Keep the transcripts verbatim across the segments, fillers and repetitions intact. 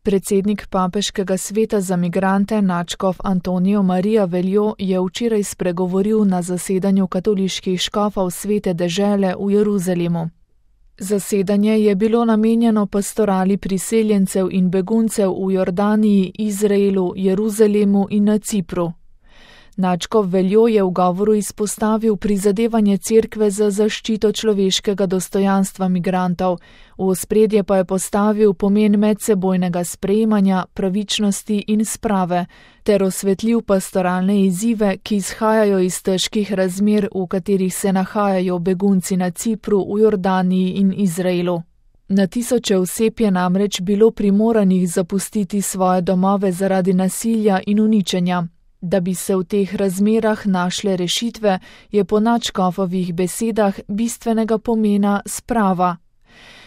Predsednik Papeškega sveta za migrante nadškof Antonijo Marija Veljo je včeraj spregovoril na zasedanju katoliških škofov Svete dežele v Jeruzalemu. Zasedanje je bilo namenjeno pastorali priseljencev in beguncev v Jordaniji, Izraelu, Jeruzalemu in na Cipru. Nadškof Veljo je v govoru izpostavil prizadevanje cerkve za zaščito človeškega dostojanstva migrantov, v ospredje pa je postavil pomen medsebojnega sprejemanja, pravičnosti in sprave, ter osvetlil pastoralne izzive, ki izhajajo iz težkih razmer, v katerih se nahajajo begunci na Cipru, v Jordaniji in Izraelu. Na tisoče oseb je namreč bilo primoranih zapustiti svoje domove zaradi nasilja in uničenja. Da bi se v teh razmerah našle rešitve, je po nadškofovih besedah bistvenega pomena sprava.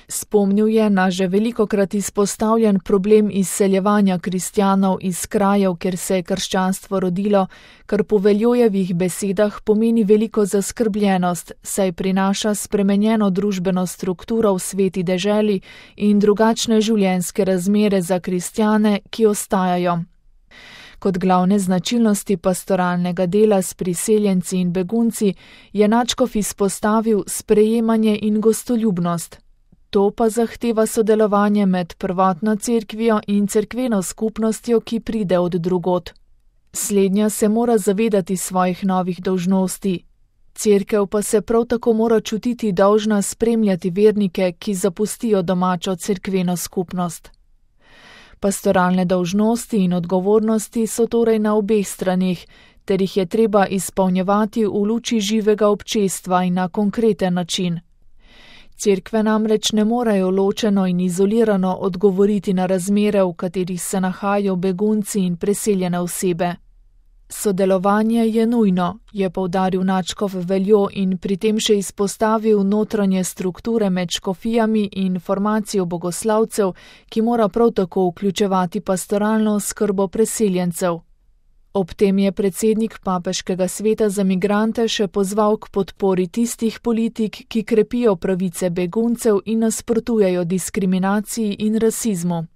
Spomnil je na že velikokrat izpostavljen problem izseljevanja kristjanov iz krajev, kjer se je krščanstvo rodilo, kar po Veljojevih besedah pomeni veliko zaskrbljenost, saj prinaša spremenjeno družbeno strukturo v sveti deželi in drugačne življenjske razmere za kristjane, ki ostajajo. Kot glavne značilnosti pastoralnega dela s priseljenci in begunci je nadškof izpostavil sprejemanje in gostoljubnost. To pa zahteva sodelovanje med prvotno cerkvijo in cerkveno skupnostjo, ki pride od drugod. Slednja se mora zavedati svojih novih dolžnosti. Cerkev pa se prav tako mora čutiti dolžna spremljati vernike, ki zapustijo domačo cerkveno skupnost. Pastoralne dolžnosti in odgovornosti so torej na obeh straneh, ter jih je treba izpolnjevati v luči živega občestva in na konkreten način. Cerkve namreč ne morejo ločeno in izolirano odgovoriti na razmere, v katerih se nahajajo begunci in preseljene osebe. Sodelovanje je nujno, je poudaril nadškof Veljo in pri tem še izpostavil notranje strukture med škofijami in formacijo bogoslavcev, ki mora prav tako vključevati pastoralno skrbo preseljencev. Ob tem je predsednik Papeškega sveta za migrante še pozval k podpori tistih politik, ki krepijo pravice beguncev in nasprotujejo diskriminaciji in rasizmu.